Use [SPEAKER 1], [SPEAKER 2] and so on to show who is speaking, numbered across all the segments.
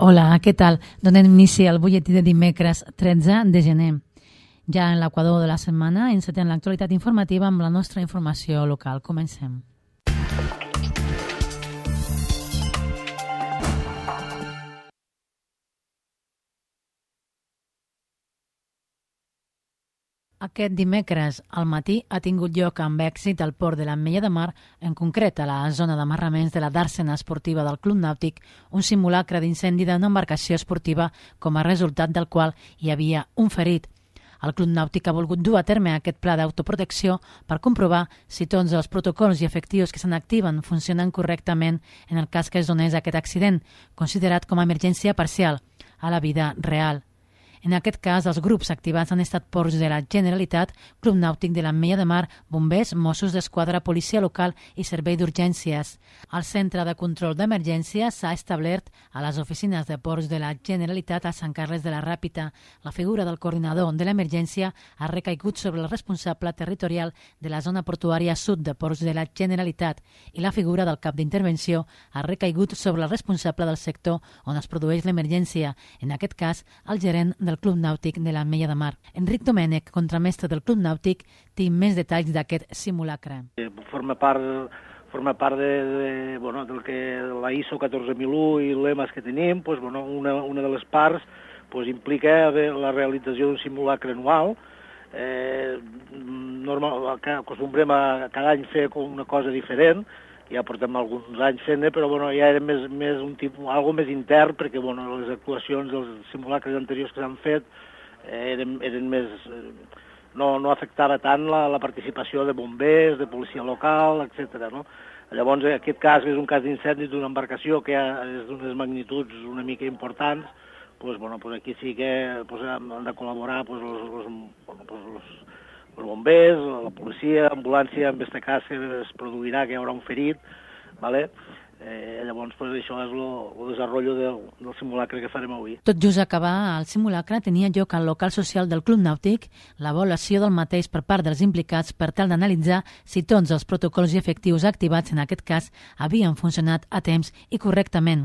[SPEAKER 1] Hola, què tal? Donem inici al butlletí de dimecres 13 de gener. Ja en l'equador de la setmana encetem l'actualitat informativa amb la nostra informació local. Comencem. Aquest dimecres al matí ha tingut lloc amb èxit al port de l'Ametlla de Mar, en concret a la zona d'amarraments de la dàrsena esportiva del Club Nàutic, un simulacre d'incendi d'una embarcació esportiva com a resultat del qual hi havia un ferit. El Club Nàutic ha volgut dur a terme aquest pla d'autoprotecció per comprovar si tots els protocols i efectius que se n'activen funcionen correctament en el cas que es donés aquest accident, considerat com a emergència parcial, a la vida real. En aquest cas, els grups activats han estat ports de la Generalitat, Club Nàutic de l'Ametlla de Mar, bombers, Mossos d'Esquadra, policia local i servei d'urgències. El centre de control d'emergència s'ha establert a les oficines de ports de la Generalitat a Sant Carles de la Ràpita. La figura del coordinador de l'emergència ha recaigut sobre el responsable territorial de la zona portuària sud de ports de la Generalitat i la figura del cap d'intervenció ha recaigut sobre el responsable del sector on es produeix l'emergència, en aquest cas, el gerent del Club Nàutic de l'Ametlla de Mar. Enric Domènech, contramestre del Club Nàutic, té més detalls d'aquest simulacre.
[SPEAKER 2] Forma part del que la ISO 14001 i lemes que tenim, una de les parts implica la realització d'un simulacre anual. Acostumbrem a cada any fer una cosa diferent, ja portem alguns anys fent-ne, però ja era més un tipus, algo més intern, perquè les actuacions dels simulacres anteriors que s'han fet eren més... No afectava tant la participació de bombers, de policia local, etc. Llavors, en aquest cas, és un cas d'incendi d'una embarcació que és d'unes magnituds una mica importants, aquí sí que han de col·laborar els bombers, la policia, l'ambulància, en aquest cas que es produirà que hi haurà un ferit, ¿vale? Llavors això és el desenvolupament del simulacre que farem avui.
[SPEAKER 1] Tot just acabar el simulacre tenia lloc al local social del Club Nàutic l'avaluació del mateix per part dels implicats per tal d'analitzar si tots els protocols i efectius activats en aquest cas havien funcionat a temps i correctament.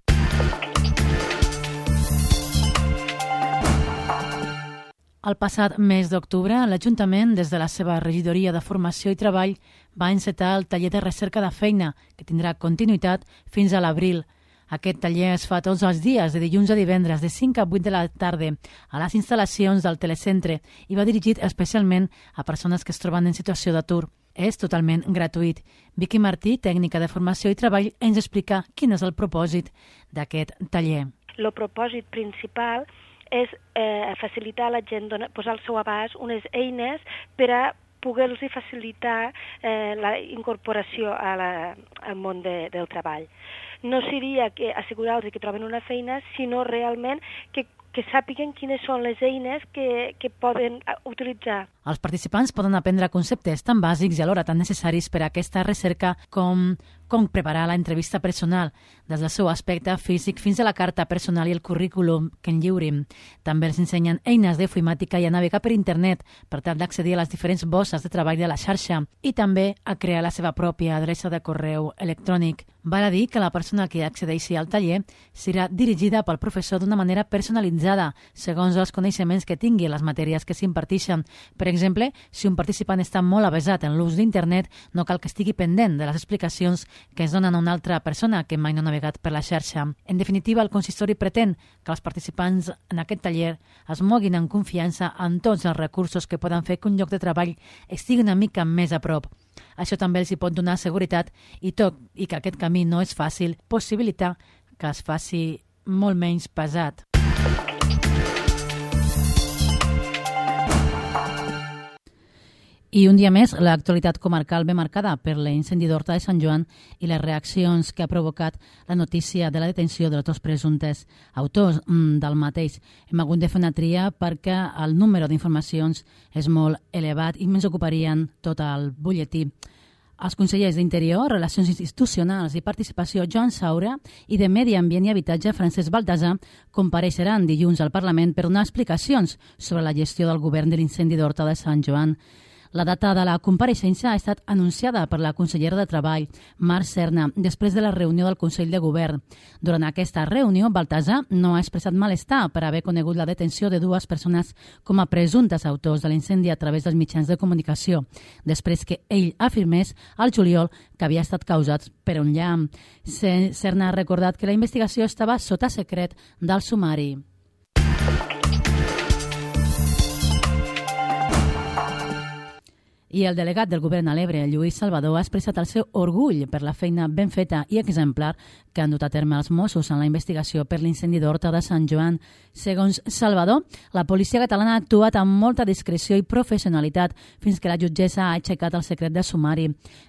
[SPEAKER 1] El passat mes d'octubre, l'Ajuntament, des de la seva regidoria de Formació i Treball, va encetar el taller de recerca de feina, que tindrà continuïtat fins a l'abril. Aquest taller es fa tots els dies, de dilluns a divendres, de 5 a 8 de la tarda, a les instal·lacions del telecentre i va dirigit especialment a persones que es troben en situació d'atur. És totalment gratuït. Vicky Martí, tècnica de Formació i Treball, ens explica quin és el propòsit d'aquest taller.
[SPEAKER 3] El propòsit principal és facilitar a la gent, posar al seu abast unes eines per a poder-los facilitar la incorporació al món del treball. No seria assegurar-los que troben una feina, sinó realment que sàpiguen quines són les eines que poden utilitzar.
[SPEAKER 1] Els participants poden aprendre conceptes tan bàsics i alhora tan necessaris per a aquesta recerca com preparar l'entrevista personal, des del seu aspecte físic fins a la carta personal i el currículum que en lliurin. També els ensenyen eines d'informàtica i a navegar per internet per tal d'accedir a les diferents bosses de treball de la xarxa i també a crear la seva pròpia adreça de correu electrònic. Val a dir que la persona que accedeixi al taller serà dirigida pel professor d'una manera personalitzada, segons els coneixements que tingui les matèries que s'imparteixen. Per exemple, si un participant està molt avesat en l'ús d'internet, no cal que estigui pendent de les explicacions que es donen a una altra persona que mai no ha navegat per la xarxa. En definitiva, el consistori pretén que els participants en aquest taller es moguin en confiança en tots els recursos que poden fer que un lloc de treball estigui una mica més a prop. Això també els hi pot donar seguretat i tot i que aquest camí no és fàcil, possibilitar que es faci molt menys pesat. I un dia més, l'actualitat comarcal ve marcada per l'incendi d'Horta de Sant Joan i les reaccions que ha provocat la notícia de la detenció dels dos presumptes autors del mateix. Hem hagut de fer una tria perquè el número d'informacions és molt elevat i ens ocuparien tot el butlletí. Els consellers d'Interior, Relacions Institucionals i Participació, Joan Saura, i de Medi Ambient i Habitatge, Francesc Baltasar, compareixeran dilluns al Parlament per donar explicacions sobre la gestió del govern de l'incendi d'Horta de Sant Joan. La data de la compareixença ha estat anunciada per la consellera de Treball, Mar Serna, després de la reunió del Consell de Govern. Durant aquesta reunió, Baltasar no ha expressat malestar per haver conegut la detenció de dues persones com a presumptes autors de l'incendi a través dels mitjans de comunicació, després que ell afirmés al juliol que havia estat causat per un llamp. Serna ha recordat que la investigació estava sota secret del sumari. I el delegat del govern a l'Ebre, Lluís Salvador, ha expressat el seu orgull per la feina ben feta i exemplar que han dut a terme els Mossos en la investigació per l'incendi d'Horta de Sant Joan. Segons Salvador, la policia catalana ha actuat amb molta discreció i professionalitat fins que la jutgessa ha aixecat el secret de sumari.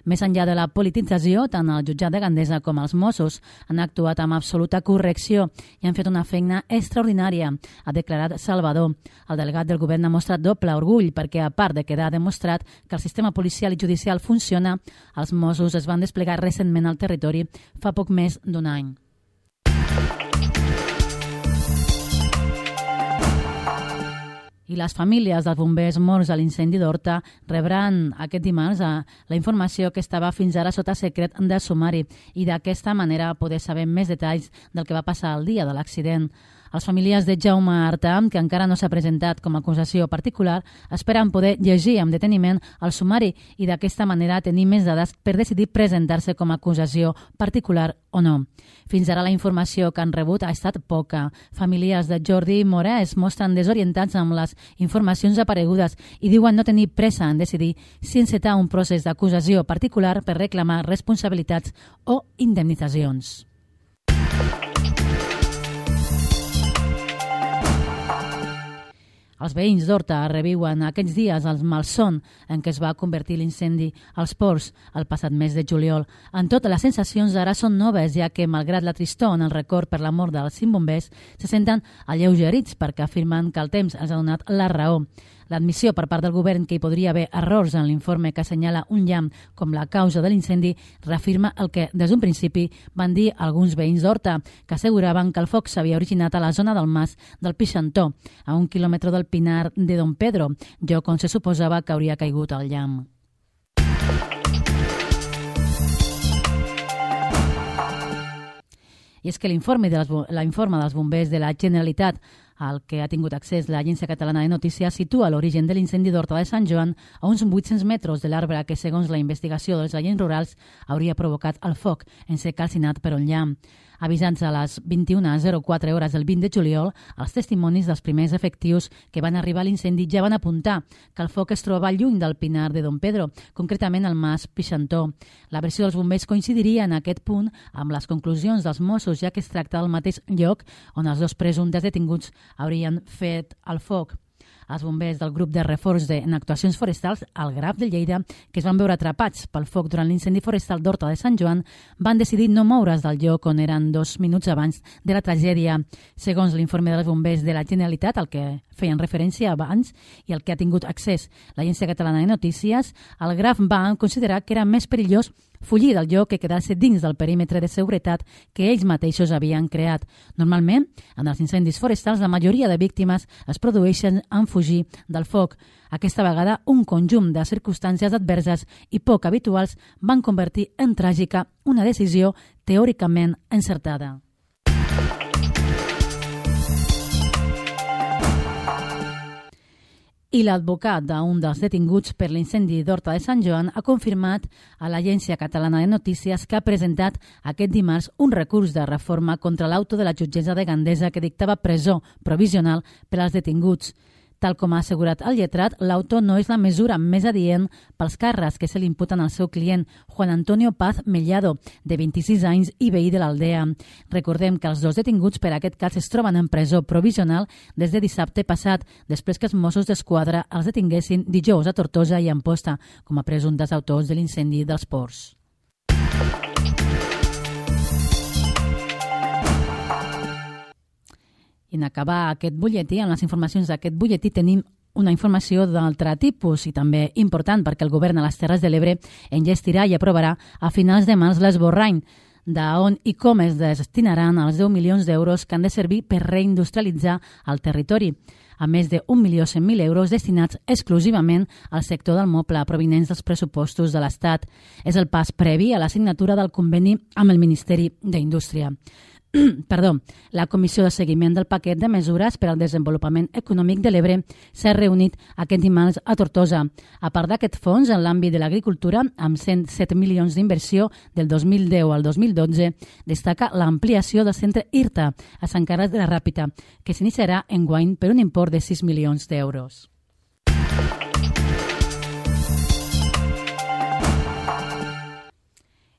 [SPEAKER 1] Més enllà de la politització, tant el jutjat de Gandesa com els Mossos han actuat amb absoluta correcció i han fet una feina extraordinària, ha declarat Salvador. El delegat del govern ha mostrat doble orgull perquè, a part de quedar demostrat que el sistema policial i judicial funciona, els Mossos es van desplegar recentment al territori fa poc més d'un any. I les famílies dels bombers morts a l'incendi d'Horta rebran aquest dimarts la informació que estava fins ara sota secret de sumari i d'aquesta manera poder saber més detalls del que va passar el dia de l'accident. Les famílies de Jaume Artà, que encara no s'ha presentat com a acusació particular, esperen poder llegir amb deteniment el sumari i d'aquesta manera tenir més dades per decidir presentar-se com a acusació particular o no. Fins ara la informació que han rebut ha estat poca. Familiars de Jordi Morà es mostren desorientats amb les informacions aparegudes i diuen no tenir pressa en decidir si encetar un procés d'acusació particular per reclamar responsabilitats o indemnitzacions. Els veïns d'Horta reviuen aquests dies el malson en què es va convertir l'incendi als ports el passat mes de juliol. En tot, les sensacions ara són noves, ja que, malgrat la tristor en el record per la mort dels 5 bombers, se senten alleugerits perquè afirmen que el temps els ha donat la raó. L'admissió per part del govern que hi podria haver errors en l'informe que assenyala un llamp com la causa de l'incendi reafirma el que, des d'un principi, van dir alguns veïns d'Horta, que asseguraven que el foc s'havia originat a la zona del Mas del Pixantó, a 1 quilòmetre del Pinar de Don Pedro, lloc on se suposava que hauria caigut el llamp. I és que l'informe dels bombers de la Generalitat al que ha tingut accés l'Agència Catalana de Notícies situa l'origen de l'incendi d'Horta de Sant Joan a uns 800 metres de l'arbre que, segons la investigació dels agents rurals, hauria provocat el foc en ser calcinat per un llamp. Avisats a les 21:04 hores del 20 de juliol, els testimonis dels primers efectius que van arribar a l'incendi ja van apuntar que el foc es trobava lluny del Pinar de Don Pedro, concretament al Mas Pixantó. La versió dels bombers coincidiria en aquest punt amb les conclusions dels Mossos, ja que es tracta del mateix lloc on els dos presumptes detinguts haurien fet el foc. Els bombers del grup de reforç en actuacions forestals, el Graf de Lleida, que es van veure atrapats pel foc durant l'incendi forestal d'Horta de Sant Joan, van decidir no moure's del lloc on eren 2 minuts abans de la tragèdia. Segons l'informe dels bombers de la Generalitat, al que feien referència abans i al que ha tingut accés l'Agència Catalana de Notícies, el Graf va considerar que era més perillós fugir del lloc que quedar-se dins del perímetre de seguretat que ells mateixos havien creat. Normalment, en els incendis forestals, la majoria de víctimes es produeixen en fugir del foc. Aquesta vegada, un conjunt de circumstàncies adverses i poc habituals van convertir en tràgica una decisió teòricament encertada. I l'advocat d'un dels detinguts per l'incendi d'Horta de Sant Joan ha confirmat a l'Agència Catalana de Notícies que ha presentat aquest dimarts un recurs de reforma contra l'auto de la jutgessa de Gandesa que dictava presó provisional per als detinguts. Tal com ha assegurat el lletrat, l'auto no és la mesura més adient pels càrrecs que se li imputen al seu client, Juan Antonio Paz Mellado, de 26 anys i veí de l'Aldea. Recordem que els dos detinguts per aquest cas es troben en presó provisional des de dissabte passat, després que els Mossos d'Esquadra els detinguessin dijous a Tortosa i Amposta com a presumptes autors de l'incendi dels ports. En acabar aquest butlletí, en les informacions d'aquest butlletí, tenim una informació d'altre tipus i també important perquè el govern a les Terres de l'Ebre enllestirà i aprovarà a finals de març l'esborrany d'on i com es destinaran els 10 milions d'euros que han de servir per reindustrialitzar el territori, a més de 1.100.000 euros destinats exclusivament al sector del moble provinents dels pressupostos de l'Estat. És el pas previ a la signatura del conveni amb el Ministeri d'Indústria. La Comissió de Seguiment del Paquet de Mesures per al Desenvolupament Econòmic de l'Ebre s'ha reunit aquest dimarts a Tortosa. A part d'aquest fons, en l'àmbit de l'agricultura, amb 107 milions d'inversió del 2010 al 2012, destaca l'ampliació del centre IRTA a Sant Carles de la Ràpita, que s'iniciarà enguany per un import de 6 milions d'euros.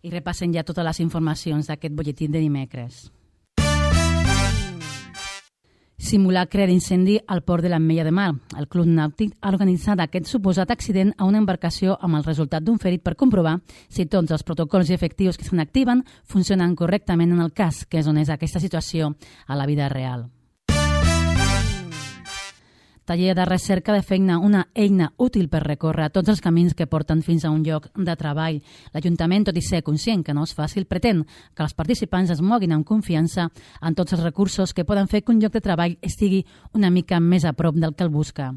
[SPEAKER 1] I repassen ja totes les informacions d'aquest butlletí de dimecres. Simulacre d'incendi al port de l'Ametlla de Mar. El Club Nàutic ha organitzat aquest suposat accident a una embarcació amb el resultat d'un ferit per comprovar si tots els protocols efectius que se n'activen funcionen correctament en el cas, que és on és aquesta situació a la vida real. Taller de recerca de feina, una eina útil per recórrer tots els camins que porten fins a un lloc de treball. L'Ajuntament, tot i ser conscient que no és fàcil, pretén que els participants es moguin amb confiança en tots els recursos que poden fer que un lloc de treball estigui una mica més a prop del que el busca.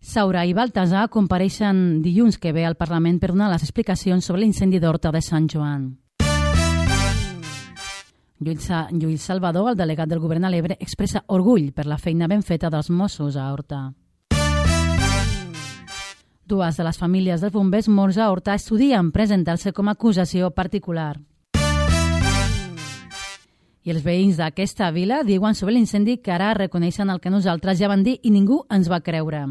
[SPEAKER 1] Saura i Baltasar compareixen dilluns que ve al Parlament per donar les explicacions sobre l'incendi d'Horta de Sant Joan. Lluís Salvador, el delegat del govern a l'Ebre, expressa orgull per la feina ben feta dels Mossos a Horta. Dues de les famílies dels bombers morts a Horta estudien presentar-se com a acusació particular. I els veïns d'aquesta vila diuen sobre l'incendi que ara reconeixen el que nosaltres ja vam dir i ningú ens va creure.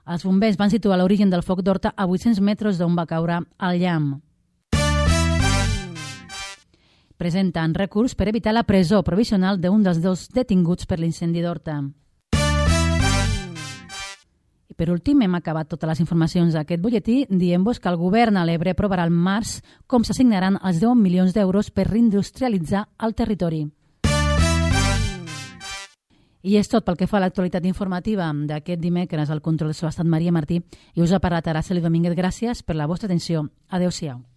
[SPEAKER 1] Els bombers van situar l'origen del foc d'Horta a 800 metres d'on va caure el llamp. Presenten recurs per evitar la presó provisional d'un dels dos detinguts per l'incendi d'Horta. I per últim, hem acabat totes les informacions d'aquest butlletí dient-vos que el govern a l'Ebre aprovarà al març com s'assignaran els 10 milions d'euros per reindustrialitzar el territori. I és tot pel que fa a l'actualitat informativa d'aquest dimecres. Al control de so ha estat Maria Martí i us ha parlat Araceli Domínguez. Gràcies per la vostra atenció. Adéu-siau.